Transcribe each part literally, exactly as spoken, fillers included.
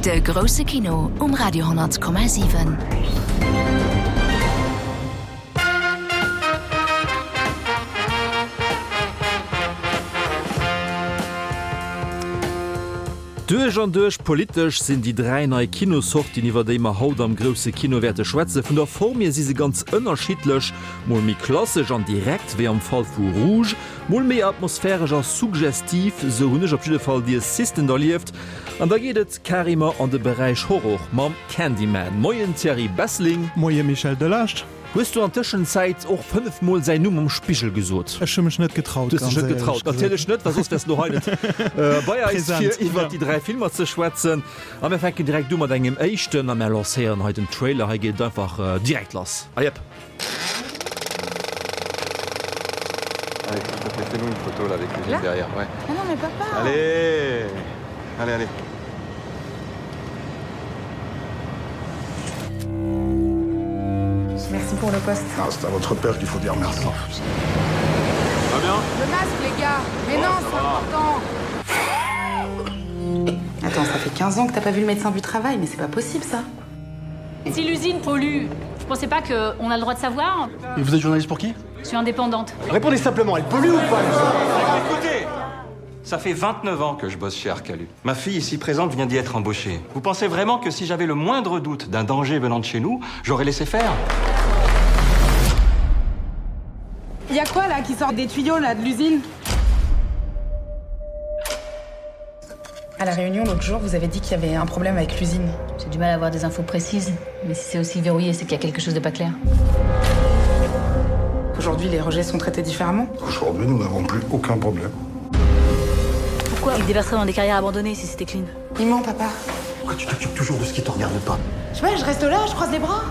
De grousse Kino um Radio honnert Komma siwen. Duerch an duerch politesch sinn déi dräi nei Kinossortien, iwwer déi mer haut am grousse Kino wäerte schwätzen. Vun der Form hier si se ganz ënnerschiddlech, mol méi klassesch an direkt, wéi am Fall vu Rouge, mol méi atmosphäresch a suggestiv, sou hunn ech op jidde Fall The Assistant erlieft. An da geet et carrément an de Beräich Horror mam Candyman. Moien Thierry Besseling. Moie Michel Delage. Hues du an Tëschenzäit och fënnef mol säin Numm am Spigel gesot? Ech hu mech net getraut, Du hues dech ganz net éierlech getraut? gesot. Natierlech net, well soss wäers du elo hei net bei eis, fir Präsent, iwwert ja. déi dräi Filmer ze schwätzen. A mir fänken direkt u mat engem éischten a mär lancéieren hei den Trailer. Hei geet et einfach direkt lass. A jep. Allez, s'il te plaît, fais-nous une photo là avec l'usine Là derrière, ouais. Mais non mais papa! Allez! Allez, allez. Merci pour le poste. Ah, c'est à votre père qu'il faut dire merci. Va bien? Le masque, les gars! Mais non, c'est important! Attends, ça fait quinze ans que t'as pas vu le médecin du travail, mais c'est pas possible ça. Si l'usine pollue, vous pensez pas qu'on a le droit de savoir? Et vous êtes journaliste pour qui? Je suis indépendante. Répondez simplement, elle pollue ou pas? Écoutez! Ça fait vingt-neuf ans que je bosse chez Arcalu. Ma fille ici présente vient d'y être embauchée. Vous pensez vraiment que si j'avais le moindre doute d'un danger venant de chez nous, j'aurais laissé faire? Y a quoi là qui sort des tuyaux là de l'usine? À la réunion l'autre jour, vous avez dit qu'il y avait un problème avec l'usine. J'ai du mal à avoir des infos précises, mais si c'est aussi verrouillé, c'est qu'il y a quelque chose de pas clair. Aujourd'hui, les rejets sont traités différemment. Aujourd'hui, nous n'avons plus aucun problème. Pourquoi ils déverseraient dans des carrières abandonnées si c'était clean? Il ment, papa. Pourquoi tu t'occupes toujours de ce qui te regarde pas? Je sais pas, je reste là, je croise les bras.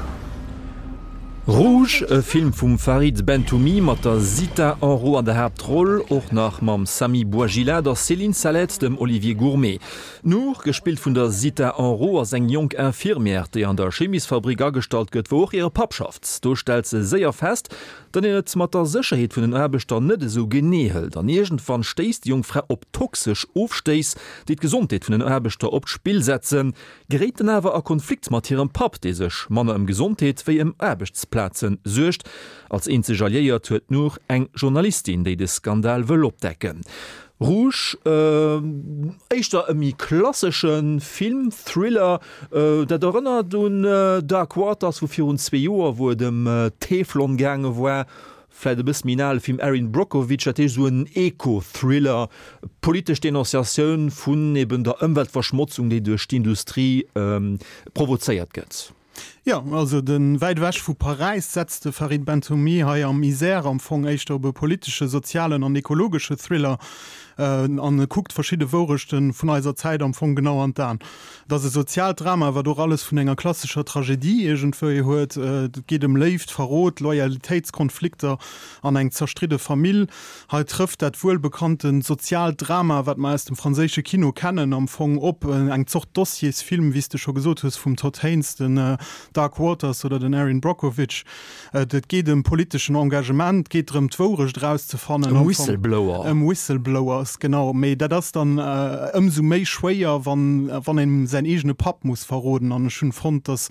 Rouge, e Film vum Farid Bentoumi mat der Zita Hanrot an der Haaptroll, och nach mam Sami Bouajila, der Céline Sallette, dem Olivier Gourmet. D'Nour, gespillt vun der Zita Hanrot, ass eng jonk Infirmière, déi an der Chemiesfabrik agestallt gëtt, wou och hire Papp schafft. Do stellt se séier fest, datt een et mat der Sécherheet vun den Aarbechter net esou genee hëlt. An iergendwann stéisst déi jonk Fra op toxesch Ofstéiss, déi d'Gesondheet vun den Aarbechter op d'Spill setzen, geréit dann awer a Konflikt mat hirem Papp, dee sech manner ëm Gesondheet wéi ëm Aarbechtsplaze suergt. Als eenzeg Alliéiert huet d'Nour eng Journalistin, déi de Skandal wëll opdecken. Rouge, éischter e méi klassesche Film, Thriller, dat erënnert un Dark Waters vu virun zwee Joer, wou et ëm Teflon gaange war, vläit e bësse méi en ale Film, Erin Brockovich, dat heescht esou en Eco-Thriller, politesch Denonciatioun vun eben der Ëmweltverschmotzung, déi duerch d'Industrie provozéiert gëtt. Jo, also de Wäit ewech vu Paräis setzt de Farid Bentoumi hei am Isère am Fong éischter op e politesche, sozialen an ekologesche Thriller an e kuckt verschidde Wourechte vun eiser Zäit am Fong genau an d'Aen. Et ass e soziaalt Drama, wat och alles vun enger klassescher Tragedie iergendwéi huet. Et geet ëm Léift, Verrot, Loyalitéitskonflikter an eng zerstridde Famill. Hei trëfft dat wuelbekannte soziaalt Drama, wat mer aus dem franséische Kino kennen, am Fong op eng Zort Dossiersfilm, wéi s de scho gesot hues, vum Todd Haynes, den Dark Waters oder den Erin Brockovich. Et geet ëm politeschen Engagement, et geet drëm, d'Wourecht erauszefannen. Ëm Whistleblower. Ëm Whistleblowers, genau. Mee dat ass dann ëmsou méi schwéier, wann wann een säin eegene Papp muss verroden. An ech hunn fonnt, dass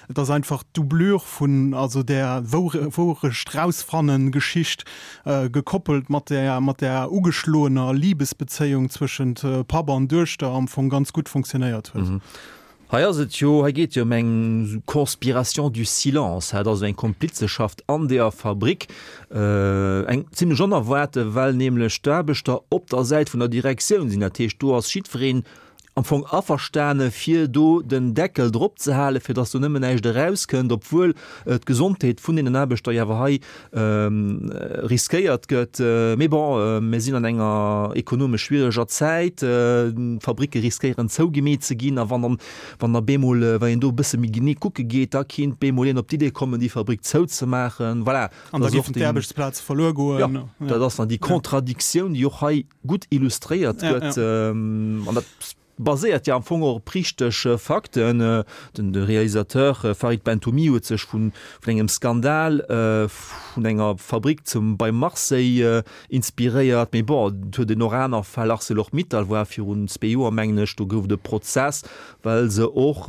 dass einfach d'Doublure vun also där Wourecht-rausfannen-Geschicht gekoppelt mat där mat där ugeschloener Libesbezéiung zwëschent Papp an Duechter am Fong ganz gutt fonctionnéiert huet. Hei ass et jo, hei geet et jo ëm eng Conspiration du silence, dat ass eng Komplizeschaft an deeër Fabrik, eng zimlech onerwaarte, well nämlech d'Aarbechter op der Säit vun der Direktioun sinn. Dat heescht, do ass jiddwereen am Fong averstane fir do den Deckel drop ze halen, fir datt do nëmmen näischt erauskënnt, obwuel d'Gesondheet vun deenen Aarbechter jo awer hei riskéiert gëtt. Mee bon, mir sinn an enger ekonomesch schwiereger Zäit, d'Fabricke riskéieren zougemeet ze ginn a wann dann, wann da bemol, wann een do e bësse méi genee kucke geet, da kinnt bemol een op d'Idee kommen, déi Fabrik zouzemaachen. Voilà, An da géifen d'Aarbechtsplaze verluer goen. Jo, dat ass dann déi Contradictioun, déi och hei gutt illustréiert gëtt. An dat baséiert jo am Fong och op richteg Fakten. Den de Realisateur Farid Bentoumi huet sech vun vun engem Skandal vun enger Fabrik zum bei Marseille inspiréiert. Mee bon, et huet een och aner Fäll, Arcelor-Mittal war virun zwee Joer, mengen ech, do gouf et e Prozess, well se och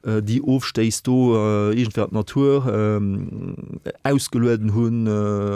déi Ofstéiss do iergendwéi an d'Natur ausgelueden hunn.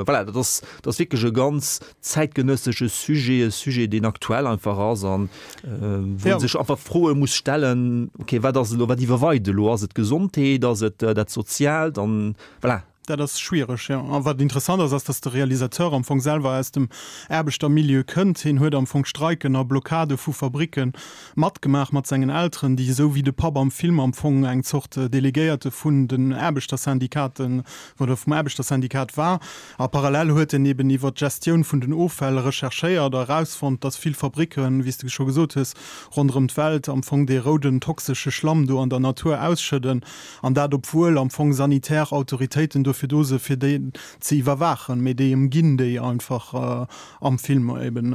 Voilà, dat ass, dat ass wierklech e ganz zäitgenëssesche Sujet, e Sujet, deen aktuell einfach ass an wou ee sech einfach Froe muss stellen, okay, wat ass elo, wat iwwerweit elo? Ass et d'Gesondheet, ass et dat Soziaalt? An voilà. Dat ass schwiereg, jo. A wat interessant ass, ass, datt de Realisateur am Fong selwer aus dem Aarbechtermilieu kënnt. Hien huet am Fong Streiken a Blockade vu Fabricke matgemaach mat sengen Elteren, déi esou wéi de Papp am Film am Fong eng Zort Delegéierte vun den Aarbechtersyndikaten oder vum Aarbechter-Syndikat war. A parallel huet en eben iwwer d'Gestioun vun den Offäll recherchéiert a erausfonnt, dass vill Fabricken, wéi s de scho gesot hues, ronderëm d'Welt am Fong dee rouden toxesche Schlamm do an der Natur ausschëdden. An dat obwuel am Fong sanitär Autoritéiten dofir do se fir déi ze iwwerwaachen, mee déi ëmginn déi einfach am Film eben.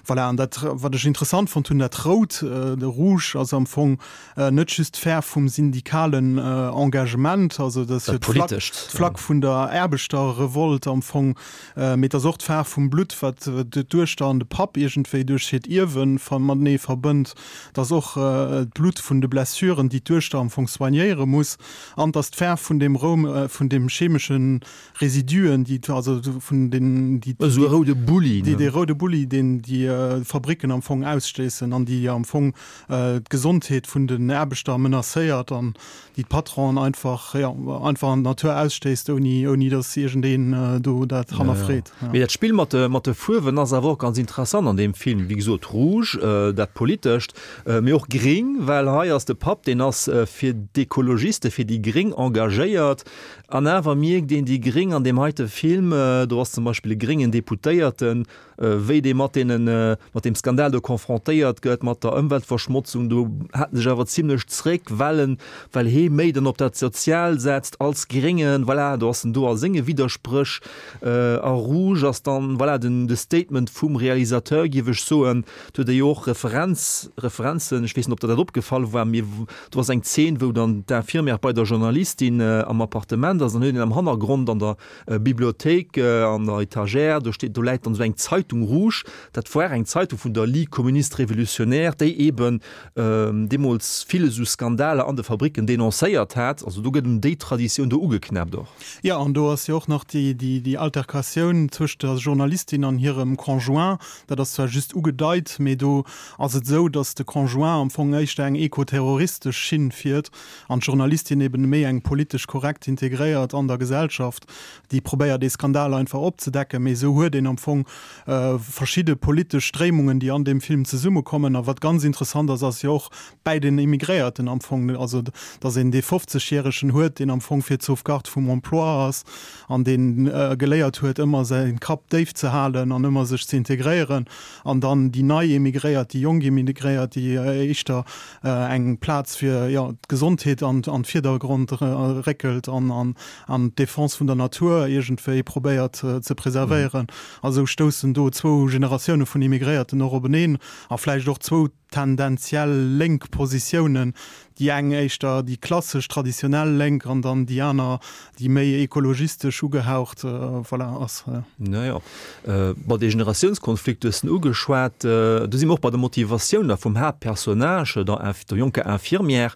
Voilà, an dat wat ech interessant fonnt hunn, dat Rout, de Rouge ass am Fong net just d'Fäerf vum syndikalen Engagement, also dat ass jo d'Flagg vun der Aarbechterrevolt am Fong, mee et ass och d'Faarf vum Blutt, wat d'Duechter an de Papp iergendwéi duerch hiert Ierwe matenee verbënnt. Et ass och d'Blutt vun de Blessuren, déi d'Duechter am Fong soignéiere muss. An et ass d'Faarf vun deem Roum, vun deem chemesche Residuen, déi, also vun den, déi, Esou e roude Bulli, ne? Dee roude Bulli, deen déi Fabricken am Fong ausstéissen an déi am Fong d'Gesondheet vun den Aarbechter menacéiert an déi d'Patronen einfach, jo, einfach an d'Natur ausstéisst, ouni, ouni datt iergendeen do dat hannerfreet. Ja. Mee dat Spill mat de, mat de Fuerwen ass awer och ganz interessant an deem Film. Wéi gesot, Rouge, dat Politescht, mee och Gring, well hei ass de Papp, deen ass fir d'Ekologiste, fir déi Gréng engagéiert. An awer mierkt een déi Gréng an deem heite Film, do ass zum Beispill e gréngen Deputéierten, wéi dee mat deenen, mat deem Skandal do confrontéiert gëtt, mat der Ëmweltverschmotzung, do hält en sech awer zimlech zréck, well en, well hee méi dann op dat Sozial setzt als Gréngen. Voilà, do ass en do a senge Widderspréch. A Rouge ass dann, voilà, den, de Statement vum Realisateur, géif ech soen. Do huet e jo och Referenz, Referenzen, ech weess net, ob der dat opgefall war, mee do ass eng Zeen, wou dann d'Infirmière bei der Journalistin am Appartement ass, an huet een am Hannergrond an der Bibliothéik an der Etagère, do steet, do läit dann esou eng Zeitung rouge, dat war eng Zeitung vun der Ligue communiste révolutionnaire, déi eben deemools vill esou Skandaler an de Fabricken denoncéiert hat. Also do gëtt un déi Traditioun do ugeknäppt och. Jo, an do ass jo och nach déi, déi, déi Altercatioun tëscht der Journalistin an hirem Conjoint. Dat ass zwar just ugedeit, mee do ass et esou, datt de Conjoint am Fong éischter eng ekoterroristesch Schinn fiert an d'Journalistin eben méi eng politesch korrekt integréiert an der Gesellschaft, déi probéiert dee Skandal einfach opzedecken. Mee esou huet een am Fong verschidde politesch Stréimungen, déi an deem Film zesummekommen. A wat ganz interessant ass, ass jo och bäi den Immigréierten am Fong, also datt een dee Fofzegjäregen huet, deen am Fong fir d'Sauvegarde vum Emploi ass an dee geléiert huet, ëmmer säi Kapp déif ze halen an ëmmer sech ze integréieren, an dann déi nei Immigréiert, déi jonk Immigréiert, déi éischter eng Plaz fir, jo, d'Gesondheet an an d'Virdergrond réckelt an an an d'Defense vun der Natur iergendwéi probéiert ze preservéieren. A sou stoussen do zwou Generatioune vun Immigréierten och openeen a vläicht och zwou tendenziell lénk Positiounen, déi eng éischter déi klassesch, traditionell Lénk an dann déi aner, déi méi ekologistesch ugehaucht, voilà, ass. Naja, bon, dee Generatiounskonflikt hues de ugeschwat. Do si mer och bei der Motivatioun da vum Haaptpersonnage, der der jonker Infirmière.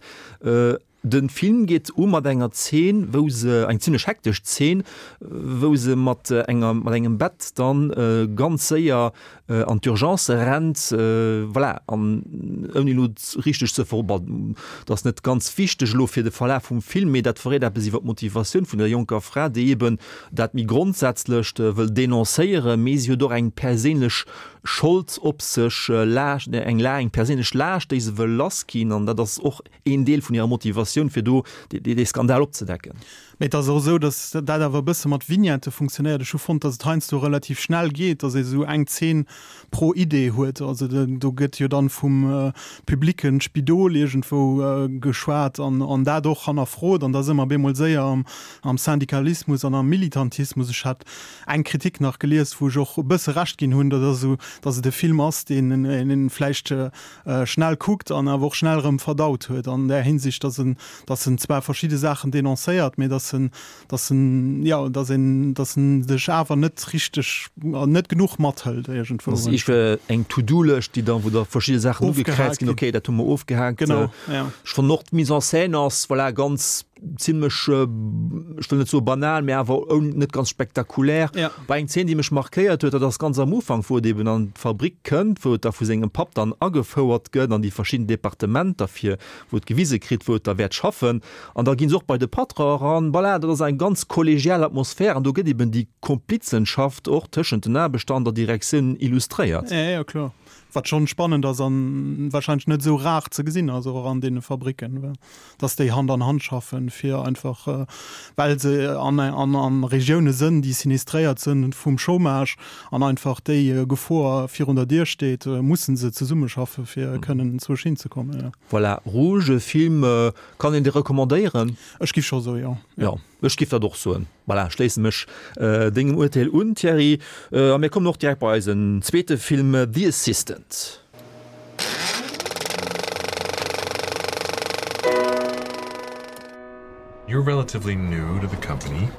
De Film geet u mat enger Zeen, wou se, eng zimlech hektesch Zeen, wou se mat enger, mat engem Bett dann ganz séier an d'Urgence rennt, voilà, an ouni elo richteg ze ver, bon, dat ass net ganz wichteg elo fir de Verlaf vum Film, mee dat verréit eppes iwwer d'Motivatioun vun der jonker Fra, déi eben dat méi Grondsätzlecht wëll denoncéieren, mee si huet och eng perséinlech Schold op sech, Laascht, eng, eng perséinlech Laascht, déi se wëll lassginn, an dat ass och een Deel vun hirer Motivatioun, fir do dee Skandal opzedecken. Mee et ass och esou, datt dat awer e bësse mat Vignette funktionéiert. Ech hu fonnt, datt et heiansdo relativ schnell geet, datt ee sou eng Zeen pro Idee huet. Also do gëtt jo dann vum publicken Spidol iergendwou geschwat an an dat och hannerfrot an da si mer bemol séier am am Syndikalismus an am Militantismus. Ech hat eng Kritik nach gelies, wou ech och e bësse Recht ginn hunn, dat ass esou, datt et e Film ass, deen een vläicht schnell kuckt an awer och schnell erëm verdaut huet an där Hinsicht, datt en datt en zwar verschidde Saachen denoncéiert, mee datt en, datt en, jo, datt een, datt en dech awer net richteg, net genuch mathëlt iergendwou. Dat ass iergendwéi eng To-do-Lëscht, déi dann, wou da verschidde Saachen ugekräizt ginn, okay, dat hu mer ofgehaakt. Genau, ja. Ech fannen och d'Mise en scène ass, voilà, ganz zimlech, ech wëll net soe banal, mee awer oun, net ganz spektakulär. Ja. Bei eng Zeen, déi mech markéiert huet, dat ass ganz am Ufank, wou et eben an d'Fabrik kënnt, wou et da vu sengem Papp dann agefouert gëtt an déi verschidden Departementer, fir wou et gewise kritt, wou et da wäert schaffen. An da gi se och bei de Patron eran. Voilà, dat ass eng ganz kollegial Atmosphär an do gëtt eben déi Komplizenschaft och tëschent den Aarbechter an der Direktioun illustréiert. Ja, ja, kloer. Wat schonn spannend ass an wahrscheinlech net esou rar ze gesinn ass, och an deene Fabricken, dass déi Hand an Hand schaffen, fir einfach, well se an, an, an Regioune sënn, déi sinistréiert sënn vum Chômage an einfach déi Gefor virun der Dier steet, mussen se zesummeschaffe fir kënnen zwousch hinzekommen, jo. Voilà, Rouge, e Film, kann een dee recommandéieren? Ech giff scho soe jo. Jo, ech giff dat och soen. Voilà, schléisse mech dengem Urteel un, Thierry. A mir kommen och direkt bei eisen zweete Film, The Assistant. You're relatively new to the company.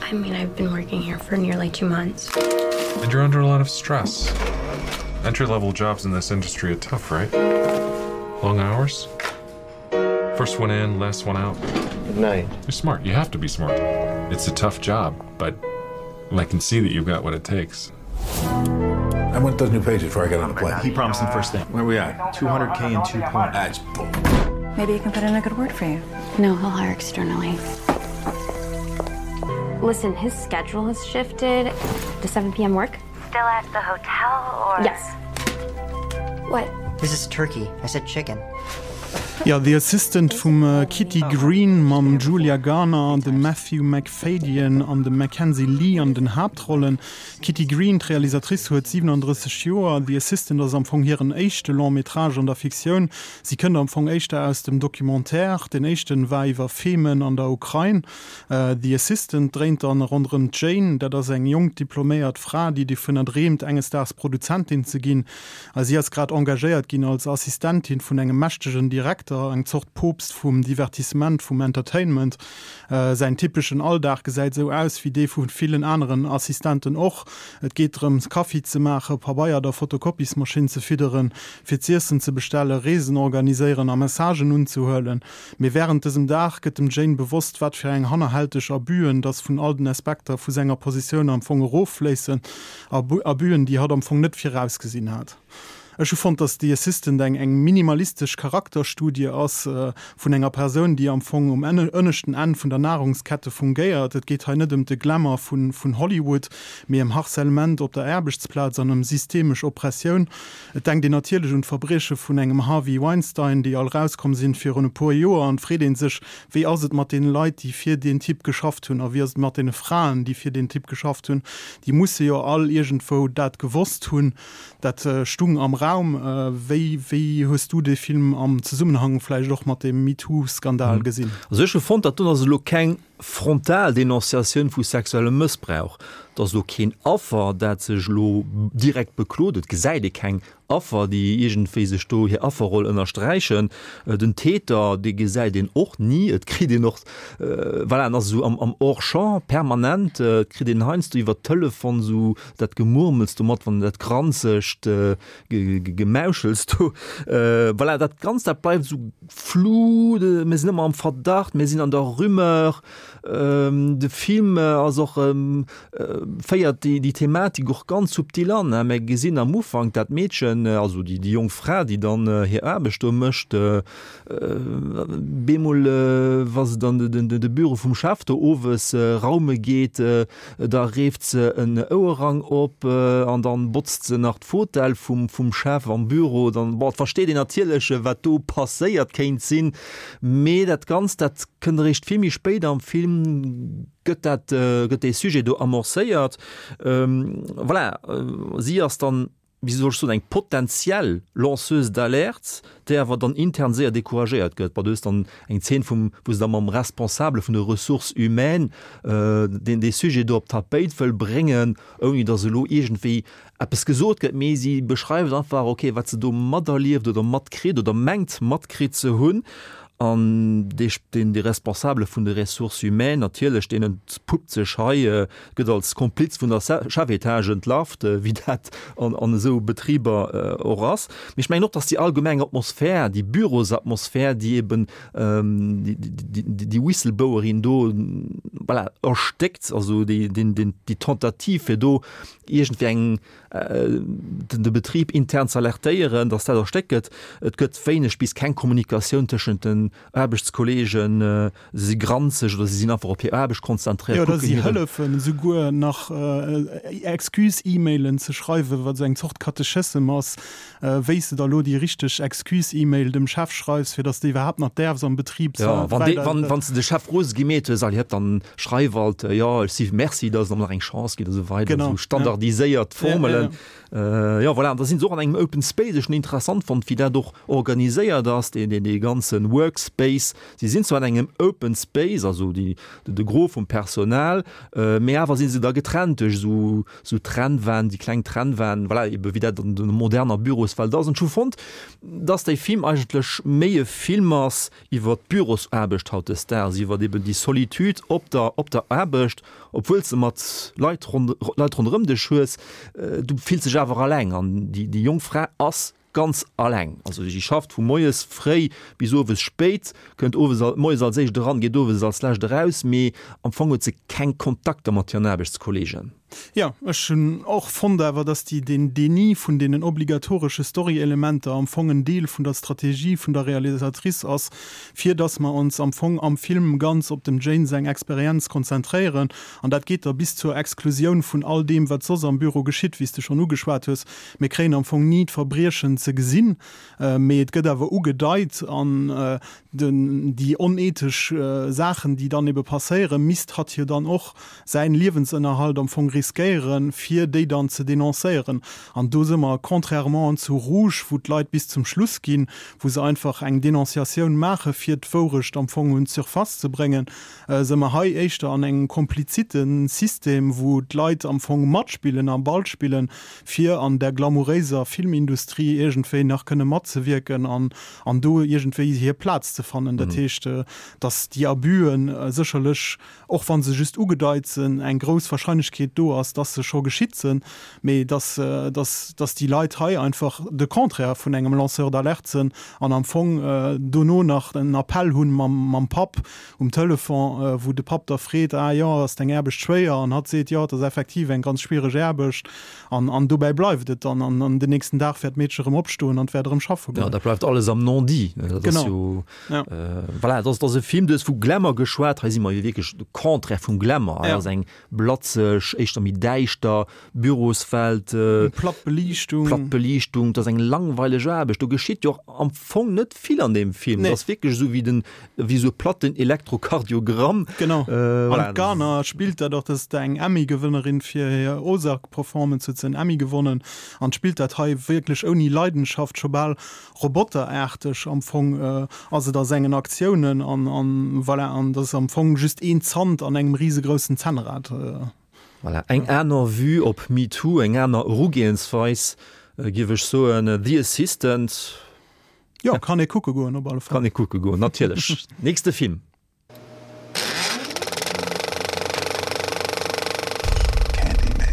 I mean, I've been working here for nearly two months. And you're under a lot of stress. Entry-level jobs in this industry are tough, right? Long hours? First one in, last one out. Good night. You're smart. You have to be smart. It's a tough job, but I can see that you've got what it takes. I want those new pages before I get on the plane. He promised them first thing. Where we at? two hundred K and two points. That's bull. Maybe you can put in a good word for you. No, he'll hire externally. Listen, his schedule has shifted. Does seven P M work? Still at the hotel or? Yes. What? This is turkey. I said chicken. Ja, The Assistant vum Kitty Green mam Julia Garner, dem Matthew Macfadyen an dem Mackenzie Lee an den Haaptrollen. D'Kitty Green, d'Realisatrice, huet siwenandrësseg Joer. The Assistant ass am Fong hiren éischte Long-métrage an der Fiktioun. Si kënnt am Fong éischter aus dem Documentaire. Deen éischten war iwwer Femen an der Ukrain. The Assistant dréint dann ronderëm d'Jane. Dat ass eng jonk diploméiert Fra, déi dovunner dreemt, enges Daags Produzentin ze ginn. A si ass grad engagéiert ginn als Assistentin vun engem mächtegen Direkter, eng Zort Poopst vum Divertissement, vum Entertainment. Säin typeschen Alldag gesäit esou aus wéi dee vu villen aneren Assistenten och. Et geet drëms, Kaffi ze maachen, Pabeier der Fotokopiesmaschinn ze fidderen, fir z'iessen ze bestellen, Reesen organiséieren a Messagen unzehuelen. Mee wärend dësem Dag gëtt dem Jane bewosst, wat fir eng hannerhälteg Abüen dass vun all den Aspekter vu senger Positioun am Fong eroffléissen, Abüen, déi hatt am Fong net virausgesinn hat. Ech hu fonnt, dass The Assistant eng eng minimalistesch Charakterstudie ass vun enger Persoun, déi am Fong um ënneschten Enn vun der Nahrungskette fungéiert. Et geet hei net ëm de Glamour vun vun Hollywood, mee ëm Harcèlement op der Aarbechtsplaz an ëm systemesch Oppressioun. Et denkt een natierlech un d'Verbrieche vun engem Harvey Weinstein, déi all rauskomm sinn virun e puer Joer, an et freet ee sech, wéi ass et mat deene Leit, déi fir deen Typ geschafft hunn, a wéi ass et mat deene Fraen, déi fir deen Typ geschafft hunn? Déi musse jo all iergendwou dat gewosst hunn. Dat stung am Raum. Wéi, wéi hues du dee Film am Zesummenhang vläicht och mat deem MeToo-Skandal gesinn? Also ech hu fonnt, dat do ass elo keng frontal Denonciatioun vu sexuellem Mëssbrauch. Et ass elo keen Affer, dat sech elo direkt beklot. Et gesäit ee keng Affer, déi iergendwéi sech do hir Afferroll ënnersträichen. Den Täter, dee gesäit een och ni. Et kritt een och, voilà, en ass esou am, am Hors-champ permanent. Et kritt een heiansdo iwwer Telefon esou dat Gemurmels do mat, wann dat granzegt Gemauschels do. Voilà, dat Ganzt, dat bleift esou flou. Mir sinn ëmmer am Verdacht, mir sinn an der Rumeur. De Film ass och, féiert déi Thematik och ganz subtil an. Mir gesinn am Ufank dat Meedchen, also déi jonk Fra, déi dann hir Aarbecht do mécht, bemol, wa se dann de Büro vum Chef do owes raume geet, da reeft se en Ouerrang op an dann botzt se nach d'Fotell vum Chef am Büro. Dann, bon, et versteet een natierlech, wat do passéiert kéint sinn, mee dat Ganzt, dat kënnt eréischt vill méi spéit am Film, gëtt dat, gëtt dee Sujet do amorcéiert. Voilà, si ass dann, wéi soll ech soen, eng potentiell Lanceuse d'alerte, déi awer dann intern séier decouragéiert gëtt. Bon, do ass dann eng Zeen vum, wou se da mam Responsabele vun de Ressources humaines deen dee Sujet do op d'Tapéit wëll bréngen, ouni datt elo iergendwéi eppes gesot gëtt, mee si beschreift einfach, okay, wat se do materlieft oder matkritt oder mengt matkritt ze hunn. An dee, deen, dee Responsabele vun de Ressources humaines natierlech, deen entpuppt sech hei, gëtt als Kompliz vun der Chefetage entlarvt, wéi dat an, an esou Betriber och ass. Mee ech mengen och, dass déi allgemeng Atmosphär, déi Bürosatmosphär, déi eben déi, déi, déi Whistleblowerin do, voilà, erstéckt, also déi, deen, deen, déi Tentative, fir do iergendwéi eng, de Betrib intern ze alertéieren, dass dat erstéckt gëtt. Et gëtt wéineg bis keng Kommunikatioun tëschent den Aarbechtskolleegen. Se si granzeg oder se sinn einfach op hir Aarbecht konzentréiert. Jo, oder si hëllefen esouguer nach Excuse-E-Mailen ze schreiwen, wat esou eng Zort Katechissem ass, wéi s de da lo déi richteg Excuse-E-Mail dem Chef schreifs, fir dass de iwwerhaapt nach däerfs am Betrib Jo, wann s de de Chef rose gemeet hues, allez hëpp, dann schreif alt, jo, ech si merci, dass et mer nach eng Chance gitt a sou weider, esou standardiséiert Formelen. Jo, voilà, an da sinn se och an engem Open Space. Ech hunn interessant fonnt, wéi dat och organiséiert ass, dee, dee, dee ganze Workspace. Si sinn zwar an engem Open Space, also déi, de Gros vum Personal, mee awer si se da getrennt duerch esou, esou Trennwänn, déi kleng Trennwänn, voilà, ebe wéi dat an der moderner Büroswelt ass. An ech hu fonnt, dass dee Film eigentlech méi e Film ass iwwer d'Bürosaarbecht hautdesdaags, iwwer eben déi Solitude op der, op der Aarbecht, obwuel s de mat Leit Leit ronderëm dech hues, du fills dech awer alleng an déi déi jonk Fra ass ganz alleng. Also si schafft vu moies fréi bis owes spéit, kënnt owes moies als éischt eran, geet owes als lescht eraus, mee am Fong huet se keng Kontakter mat hiren Aarbechtskolleegen. Jo, ech hunn och fonnt awer, dass déi deen Déni vun deenen obligatoresche Storyelementer am Fong en Deel vun der Strategie vun der Realisatrice ass, fir dass mer ons am Fong am Film ganz op dem Jane seng Experienz konzentréieren. An dat geet da bis zur Exklusioun vun all deem, wat soss am Büro geschitt, wéi s de schonn ugeschwat hues. Mir kréien am Fong ni d'Verbriechen ze gesinn, mee et gëtt awer ugedeit an den, déi onethesch Saachen, déi dann ebe passéieren, misst hatt jo dann och säin Liewensënnerhalt am Fong riskéieren, fir déi dann ze denoncéieren. An do si mer, contrairement zu Rouge, wou d'Leit bis zum Schluss ginn, wou se einfach eng Denonciatioun maache fir d'Wourecht am Fong un d'Surface ze bréngen, si mer hei éischter an engem komplizite System, wou d'Leit am Fong matspillen a Ball spillen, fir an där glamouréiser Filmindustrie iergendwéi nach kënne matzewierken an an do iergendwéi hir Plaz ze fannen. Dat heescht, datt déi Abüen sécherlech, och wa se just ugedeit sinn, eng grouss Wahrscheinlechkeet do ass, datt se scho geschitt sinn, mee datt, datt, datt déi Leit hei einfach de Contraire vun engem Lanceur d'alerte sinn an am Fong dono nach en Appell hunn mam, mam Papp um Telefon, wou de Papp da freet, Ah jo, ass deng Aarbecht schwéier? An hatt seet, Jo, et ass effektiv eng ganz schwiereg Aarbecht. An, an dobäi bleift et dann. An, an den nächsten Dag wäert d'Meedche erëm opstoen an wäert erëm schaffe goen. Ja, dat bleift alles am Non-dit. Dat ass Genau. jo, Ja. äh, voilà, dat ass, dat ass e Film, du hues vu Glamour geschwat, hei si mer jo wierklech de Contraire vum Glamour. Hei Ja. ass eng blatzeg, éischter méi däischter Büroswelt, äh, Platt Beliichtung. platt Beliichtung, dat ass eng langweileg Aarbecht. Do geschitt jo och am Fong net vill an deem Film. Nee. Dat ass wierklech esou wéi den, wéi esou e platten Elektrokardiogramm. Genau. Äh, voilà. An d'Garner spillt dat och, dat ass eng Emmy-Gewënnerin fir hir Ozark-Performance, huet se en Emmy gewonnen an spillt dat hei wierklech ouni Leidenschaft, scho bal roboteraarteg am Fong ass et a sengen Aktiounen an, an voilà, an dat ass am Fong just een Zant an engem risegroussen Zännrad. Voilà, eng aner Vue op MeToo, eng aner Erugehensweis, géif ech soen. The Assistant. Jo, kann ee kucke goen op alle Fall. Kann ee kucke goen, natierlech. Nächste Film. Candyman.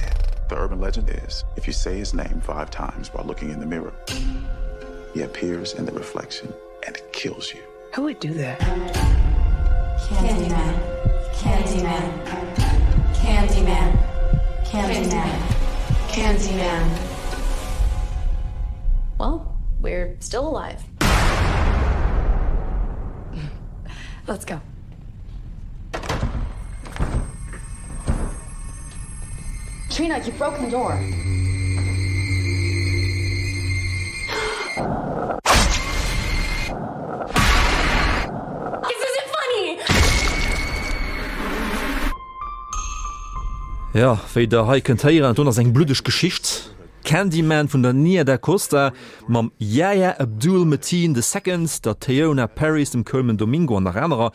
The urban legend is if you say his name five times while looking in the mirror, he appears in the reflection and kills you. Who would do that? Candyman. Candyman. Candyman. Candyman. Candyman. Well, we're still alive. Let's go. Trina, you broke the door. This isn't funny. Ja, wéi der hei kënnt héieren, dat ass eng bluddeg Geschicht. Candyman vun der Nia Da Costa mam Yahya Abdul-Mateen the Second, der Teyonah Parris, dem Colman Domingo an nach anerer.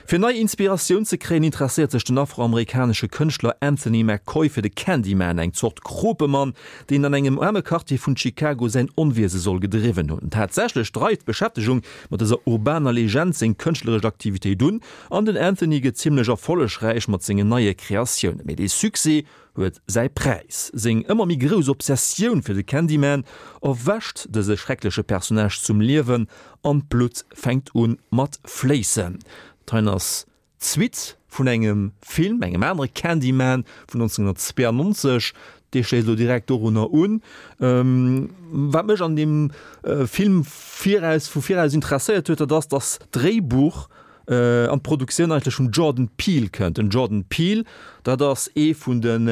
Fir nei Inspiratioun ze kréien, interesséiert sech den afroamerikanesche Kënschtler Anthony McCoy fir de Candyman, eng Zort Kropemann, deen an engem aarme Quartier vun Chicago säin Onwiese soll gedriwwen hunn. Tatsächlech dreift d'Beschäftegung mat dëser urbaner Legend seng kënschtleresch Aktivitéit un an den Anthony gëtt zimmlech erfollegräich mat sengen neie Kreatiounen. Mee dee Succès huet säi Präis. Seng ëmmer méi grouss Obsessioun fir de Candyman erwächt dëse schreckleche Personnage zum Liewen an d'Blutt fänkt un mat fléissen. Dat hei ass d'Suite vun engem Film, engem anere Candyman vun nonzénhunnertzweeanonzeg. Dee schléisst elo direkt dorunner un. Wat mech an deem Film viraus, vu viraus interesséiert huet, dat ass, dass d'Dréibuch an d'Produktioun eigentlech vum Jordan Peele kënnt. Den Jordan Peele, dat ass ee vun den,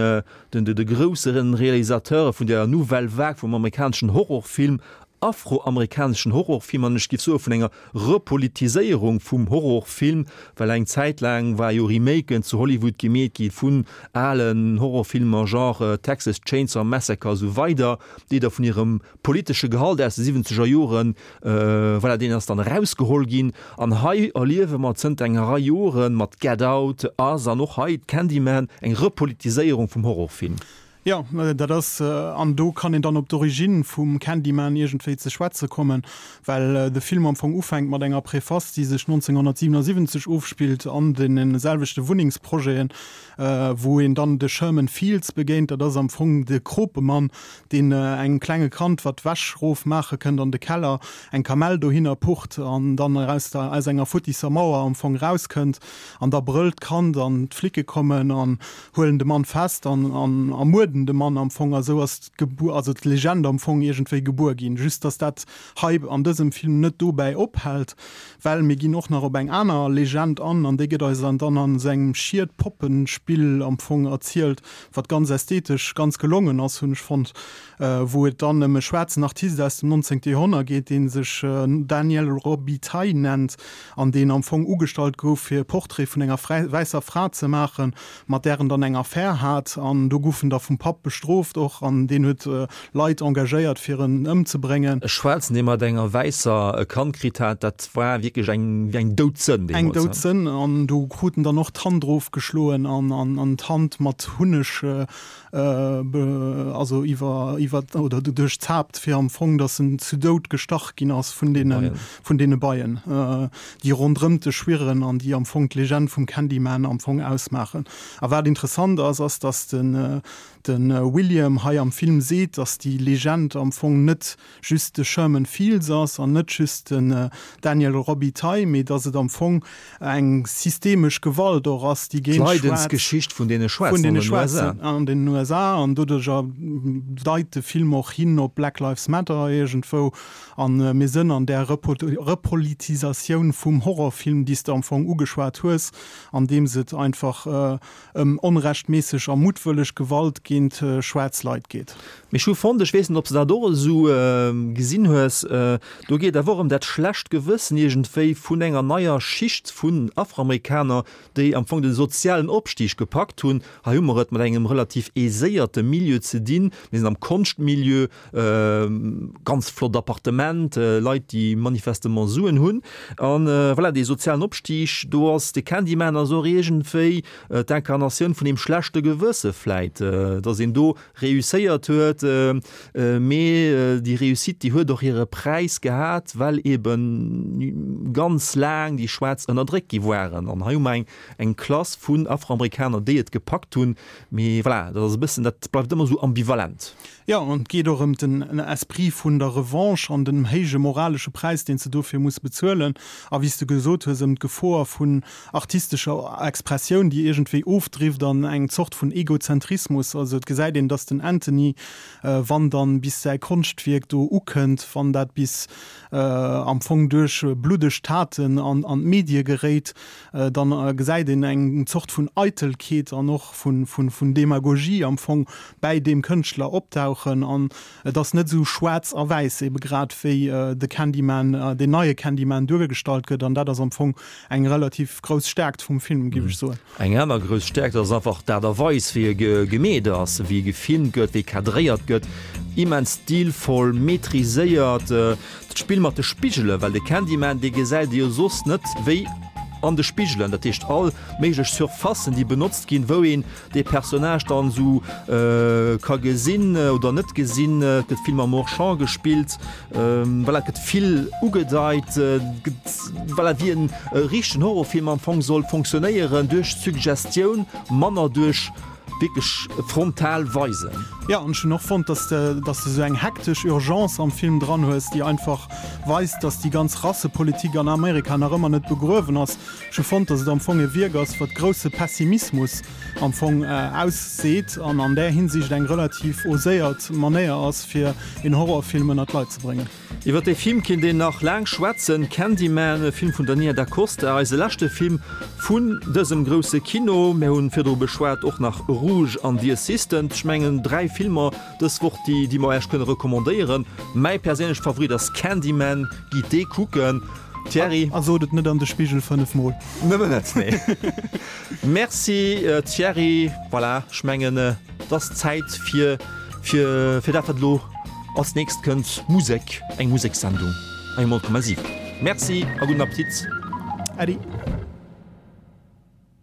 den, de grousseren Realisateure vun der Nouvelle Vague vum amerikaneschen Horrorfilm, afroamerikaneschen Horrorfilm an ech géif soe vun enger Repolitiséierung vum Horrorfilm, well eng Zäit laang war jo Remaken zu Hollywood gemeet gi vun alen Horrorfilmer genre Texas Chainsaw Massacre a sou weider, déi da vun hirem politesche Gehalt aus de siwwenzeger Joren, voilà, deen ass dann erausgeholl ginn. An hei erliewe mer zënter enger Rei Joren mat Get Out, Us an och hei Candyman eng Repolitiséierung vum Horrorfilm. Jo, dat ass, an do kann een dann op d'Origine vum Candyman iergendwéi ze schwätze kommen, well de Film am Fong ufänkt mat enger Preface, déi sech nonzénhunnertsiwenundsiwwenzeg ofspillt an deene selwechte Wunnengsprojeten, wou een dann de Sherman Fields begéint. Dat ass am Fong de Kropemann, deen engem klenge Kand, wat d'Wäsch rofmaache kënnt an de Keller, eng Kamell dohinner pucht an dann aus der, aus enger futtisser Mauer am Fong rauskënnt. An da brëllt d'Kand an d'Flicke kommen an huelen de Mann fest an ermuerden de Mann am Fong. A sou ass d'Gebu-, also d'Legend am Fong iergendwéi gebuer ginn. Just dass dat hei an dësem Film net dobäi ophält, well mir ginn och nach op eng aner Legend an, an déi gëtt eis dann an esou engem Schied-Poppenspill am Fong erzielt, wat ganz ästhetesch ganz gelongen ass, hunn ech fonnt, wou et dann ëm e schwaarzen Artist aus dem nonzéngte Joerhonnert geet, dee sech Daniel Robitaille nennt an deen am Fong ugestallt gouf, fir e Portrait vun enger wäisser Fra ze maachen, mat där en dann eng Affär hat. An do gouf en da vum Papp bestrooft och an deen huet Leit engagéiert, fir en ëmzebréngen. E Schwaarzen, dee mat enger Wäisser e Kand kritt hat, dat war wierklech eng wéi eng Doudsënn Eng deemools, ne? Doudsënn. An do krut en dann och d'Hand erofgeschloen an an d'Hand mat Hunneg also iwwer iwwer oder duerch d'Haapt, fir am Fong, datt en zu Doud gestach ginn ass vun deene vun deene Beien, déi ronderëmt e schwirren an déi am Fong d'Legend vum Candyman am Fong ausmaachen. A wat interessant ass, ass, datt den de William hei am Film seet, datt déi Legend am Fong net just de Sherman Fields ass an net just den Daniel Robitaille, mee datt et am Fong eng systemesch Gewalt och ass, déi géint Schwaarz, D'Leidensgeschicht vun deene vun Schwaarzen deene an den U S A. Schwaarzen an den U S A. An doduercher deit de Film och hin op Black Lives Matter iergendwou. A mir sënn an där Repolitisatioun vum Horrorfilm, déi s de am Fong ugeschwat hues, andeems et einfach ëm onrechtméisseg a muttwëlleg Gewalt géint schwaarz Leit geet. Mee ech hu fonnt, ech weess net, ob s de dat och esou gesinn hues, do geet awer och ëm dat schlecht Gewëssen iergendwéi vun enger neier Schicht vun Afroamerikaner, déi am Fong de sozialen Opstig gepackt hunn. Hei hu mer et mat engem relativ aiséierte Milieu ze dinn. Mir sinn am Konschtmilieu, ganz flott Appartement, Leit, déi manifestement Suen hunn. An voilà, dee sozialen Opstig, do ass de Candyman ass och iergendwéi d'Inkarnatioun vun deem schlechte Gewësse vläit. Et datt een do reusséiert huet, mee déi Réussite, déi huet och hire Präis gehat, well ebe ganz laang déi Schwaarz ënnerdréckt gi waren. An hei hu mer eng, eng Klass vun Afroamerikaner, déi et gepackt hunn. Mee voilà, dat ass e bëssen, dat bleift ëmmer esou ambivalent. Jo, an et geet och ëm den Esprit vun der Revanche an den héije moralesche Präis, deen s de dofir muss bezuelen. A wéi s de gesot hues, ëm d'Gefor vun artistescher Expressioun, déi iergendwéi ofdrift an eng Zort vun Egozentrismus. Also et gesäit een, dass den Anthony, wann dann bis säi Konschtwierk do ukënnt, wann dat bis am Fong duerch bluddeg Taten an d'Medie geréit, dann gesäit een eng Zort vun Eitelkeet an och vun Demagogie am Fong bäi deem Kënschtler opdauchen. An et ass net esou schwaarz a wäiss, ebe grad wéi de Candyman, deen neie Candyman duergestallt gëtt. An dat ass am Fong eng relativ grouss Stärkt vum Film, géif ech soen. Eng aner grouss Stärkt ass einfach d'Aart a Weis, wéi e gemeet ass, wéi e gefilmt gëtt, wéi e kadréiert gëtt. Immens stilvoll, maîtriséiert. D'Spill mat de Spigelen, well de Candyman, dee gesäit ee jo soss net wéi an de Spigelen. Dat heescht all méiglech Surfacen, déi benotzt ginn, wou een dee Personnage dann esou ka gesinn oder net gesinn. Et gëtt vill mam Hors-champ gespillt, voilà, et gëtt vill ugedeit, et gëtt, voilà, wéi en richtegen Horrorfilm am Fong soll fonctionnéieren, duerch Suggestioun, manner duerch wierklech frontal weisen. Jo, an ech hunn och fonnt, dass de, dass de sou eng hektesch Urgence am Film dran hues, déi einfach weist, dass déi ganz Rassepolitik an Amerika nach ëmmer net begruewen ass. Ech hu fonnt, dass et am Fong e Wierk ass, wat grousse Pessimismus am Fong ausseet an an där Hinsicht eng relativ oséiert Manéier ass, fir een Horrorfilm ënner d'Leit ze bréngen. Iwwer dee Film kinnt een nach laang schwätzen. Candyman, e Film vun der Nia Da Costa, eise leschte Film vun dësem grousse Kino. Mir hunn virdru beschwat och nach Rouge an The Assistant. Ech mengen dräi Filmer dës Woch, déi déi mer Iech kënne recommandéieren. Mäi perséinleche Favorit ass Candyman, gitt dee kucken. Thierry? A sot et net an de Spigel fënnef Mol. Nëmmen net, nee. Merci Thierry. Voilà, ech mengen et ass Zäit fir fir fir dat wat elo Als nächst kënnt Musek, eng Musekssendung hei um Komma siwen. Merci a gudden Appetit. Äddi.